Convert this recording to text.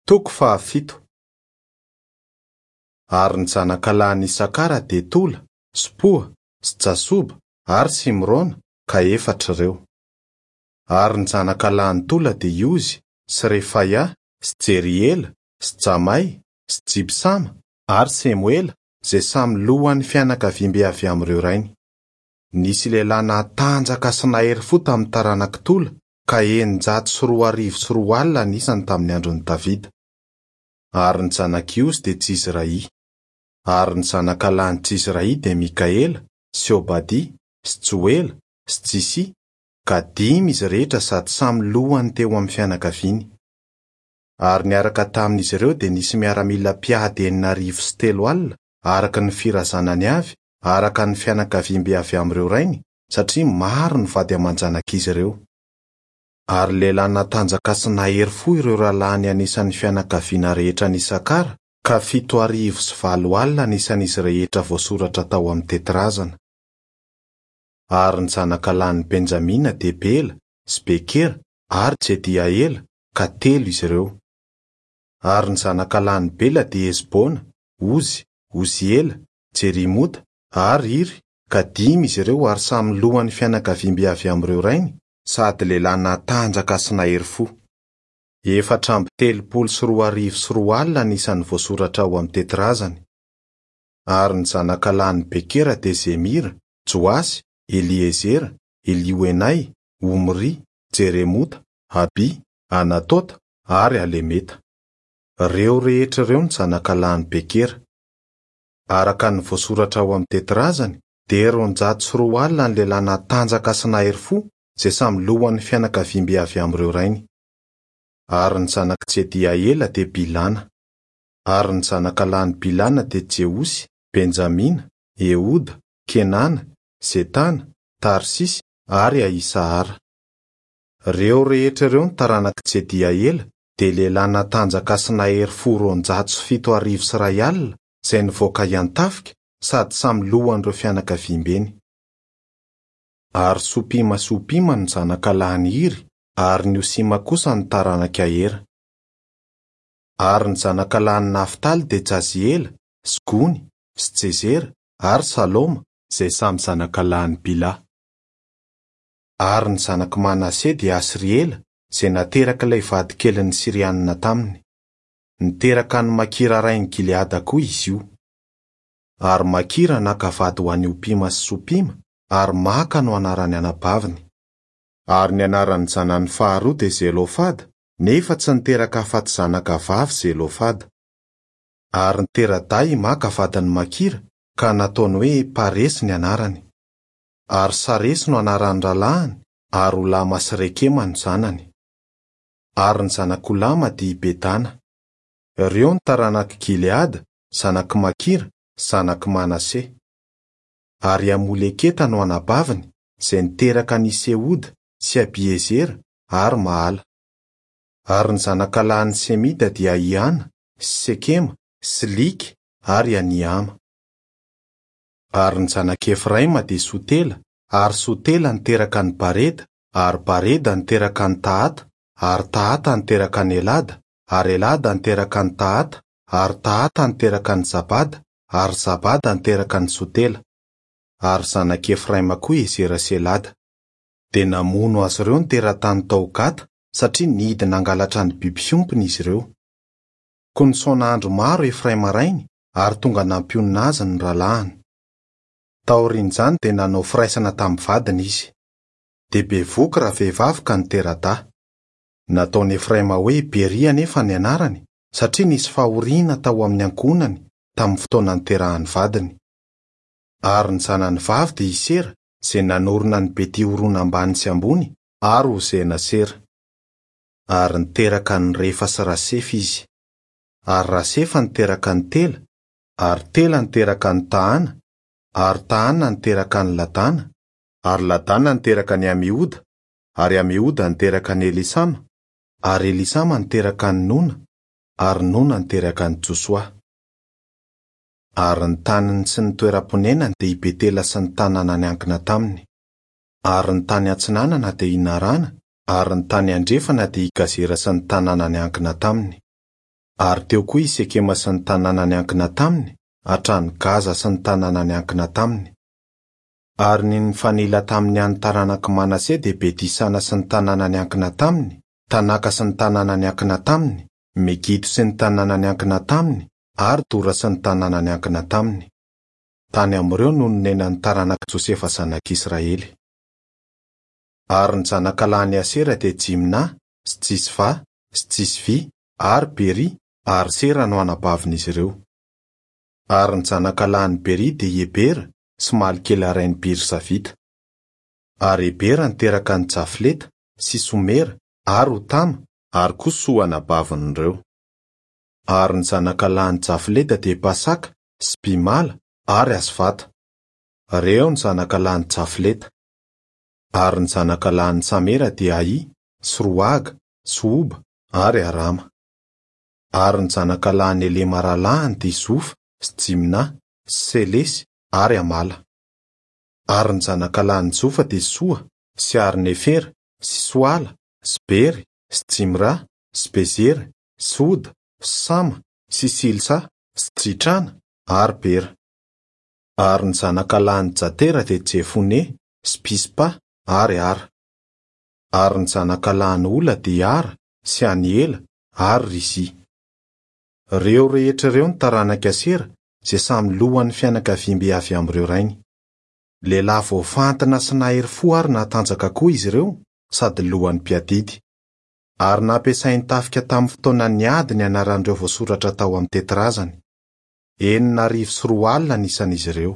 Toko fahafito. Ary ny zanakalahin'i Isakara dia Tola, sy Poa, sy Jasoba, ary Simrona, ka efatra ireo. Ary ny zanakalahin'i Tola dia i Ozy, sy Refaia, sy Jeriela, sy Jamay, sy Jibsama, ary Semoela, izay samy lohan'ny fianakaviambe avy amin'ireo rainy. Nisy lehilahy natanjaka sy nahery fo tamin'ny taranak'i Tola, ka 2600 ny isany tamin'ny andron'i Davida. Ary ny zanak'i Ozy dia Jizrahia. Ary ny zanakalahin'i Jizrahia dia Mikaela, sy Obadia, sy Joela, sy Jisia, ka dimy izy rehetra sady samy lohany teo amin'ny fianakaviany. Ary niaraka tamin'izy ireo dia nisy miaramila mpiady 360 araka ny firazanany avy, araka ny fianakaviambe avy amin'ireo rainy, satria maro ny vady aman-janak'izy ireo. Ary lehilahy natanjaka sy nahery fo ireo rahalahiny anisan'ny fianakaviana rehetra any Isakara, ka 870 ny isan'izy rehetra voasoratra tao amin'ny tetirazana. Ary ny zanakalahin'i Benjamina dia Bela sy Bekera ary Jediaela, ka telo izy ireo. Ary ny zanakalahin'i Bela dia Hesbona, Ozy, Oziela, Jerimota, ary Iry, ka dimy izy ireo ary samy lohan'ny fianakaviambe avy amin'ireo rainy, sady lehilahy natanjaka sy nahery fo. 234 ny isan'ny voasoratra ao amin'ny tetirazany. Ary ny zanakalahin'i Bekera dia Zemira, Joasy, Eliezera, Elioenay, Omry, Jeremota, Abia, Anatota, ary Alemeta. Ireo rehetra ireo no zanakalahin'i Bekera. Araka ny voasoratra ao amin'ny tetirazany, dia 220 ny lehilahy natanjaka sy nahery fo, izay samy lohan'ny fianakaviambe avy amin'ireo rainy. Ary ny zanak'i Jediaela dia Bilana. Ary ny zanakalahin'i Bilana dia Jeosy, Benjamina, Ehoda, Kenana, Zetana, Tarsisy, ary Ahisahara. Ireo rehetra ireo no taranak'i Jediaela, dia lehilahy natanjaka sy nahery fo 1270 izay nivoaka hiantafika sady samy lohan'ireo fianakaviambeny. Ary Sopima sy Hopima no zanakalahin'i Iry, ary ny Hosima kosa no taranak'i Ahera. Ary ny zanakalahin'i Naftaly dia Jaziela, sy Gony, sy Jezera, ary Saloma, izay samy zanakalahin'i Bila. Ary ny zanak'i Manase dia Asriela, izay naterak'ilay vadikelin'ny Syrianina taminy. Niteraka an'i Makira rain'i Gileada koa izy io. Ary Makira naka vady ho an'i Hopima sy Sopima, ary Maka no anaran'ny anabaviny. Ary ny anaran'ny zanany faharoa dia Zelofada, nefa tsy niteraka afa-tsy zanaka vavy Zelofada. Ary nitera-dahy i Maka vadin'i Makira, ka nataony hoe Paresy ny anarany. Ary Saresy no anaran'ny rahalahiny, ary Olama sy Rekema no zanany. Ary ny zanak'i Olama dia i Bedana. Ireo no taranak'i Gileada, zanak'i Makira, zanak'i Manase. Ary i Amoleketa no anabaviny, izay niteraka an'i Sehoda, sy Abiezera, ary Mahala. Ary ny zanakalahin'i Semida dia Ahiana, sy Sekema, sy Lika, ary Aniama. Ary ny zanak'i Efraima dia Sotela, ary Sotela niteraka an'i Bareda, ary Bareda niteraka an'i Tahata, ary Tahata niteraka an'i Elada, ary Elada niteraka an'i Tahata, ary Tahata niteraka an'i Zabada, ary Zabada niteraka an'i Sotela. Ary zanak'i Efraima koa Ezera sy Elada. Dia namono azy ireo ny teratany tao Gata, satria nihidy nangalatra ny biby fiompiny izy ireo. Koa nisaona andro maro Efraima rainy, ary tonga nampionona azy ny rahalahiny. Taorian'izany dia nanao firaisana tamin'ny vadiny izy. Dia bevohoka ravehivavy ka nitera-dahy. Nataon'i Efraima hoe Beria anefa ny anarany, satria nisy fahoriana tao amin'ny ankohonany tamin'ny fotoana niterahan'ny vadiny. Ary ny zanany vavy dia i Sera, izay nanorina an'i Beti-horona ambany sy ambony ary Ozena-sera. Ary niteraka an'i Refa sy Rasefa izy. Ary Rasefa niteraka an'i Tela, ary Tela niteraka an'i Tahana, ary Tahana niteraka an'i Ladana, ary Ladana niteraka an'i Amihoda, ary Amihoda niteraka an'i Elisama, ary Elisama niteraka an'i Nona, ary Nona niteraka an'i Josoa. Ary ny taniny sy ny toeram-ponenany dia i Betela sy ny tanàna niankina taminy. Ary ny tany atsinanana dia i Narana, ary ny tany andrefana dia i Gazera sy ny tanàna niankina taminy. Ary teo koa i Sekema sy ny tanàna niankina taminy, hatrany Gaza sy ny tanàna niankina taminy. Ary ny nifanila tamin'ny an'ny taranak'i Manase dia Beti-sana sy ny tanàna niankina taminy, Tanaka sy ny tanàna niankina taminy, Megido sy ny tanàna niankina taminy, ary Dora sy ny tanàna niankina taminy. Tany amin'ireo no nonenan'ny taranak'i Josefa zanak'Israely. Ary ny zanakalahin'i Asera dia Jimna, sy Jisva, sy Jisvy, ary Beria, ary Sera no anabavin'izy ireo. Ary ny zanakalahin'i Beria dia i Hebera sy Malkiela rain'i Birzavita. Ary Hebera niteraka an'i Jafleta, sy Somera, ary Hotama, ary koa Soa anabavin'ireo. Ary ny zanakalahin'i Jafleta dia Pasaka, sy Bimala, ary Asvata. Reo ny zanakalahin'i Jafleta. Ary ny zanakalahin'i Samera dia Ahy, sy Rohaga, sy Hoba, ary Arama. Ary ny zanakalahin'i Helema rahalahiny dia Zofa, sy Jimna, sy Selesy, ary Amala. Ary ny zanakalahin'i Jofa dia Soa, sy Arnefera, sy Soala, sy Bery, sy Jimra, sy Bezera, sy Hoda, sy Sama, sy Silsa, sy Jitrana, ary Bera. Ary ny zanakalahin'i Jatera dia Jefone, sy Pispa, ary Ara. Ary ny zanakalahin'i Ola dia Ara, sy Aniela, ary Rizia. Ireo rehetra ireo no taranak'i Asera, izay samy lohan'ny fianakaviambe avy amin'ireo rainy. Lehilahy voafantina sy nahery fo ary natanjaka koa izy ireo, sady lohan'ny mpiadidy. Ary nampiasain'ny tafika tamin'ny fotoanan'ny ady ny anaran'ireo voasoratra tao amin'ny tetirazany. 2006 ny isan'izy ireo.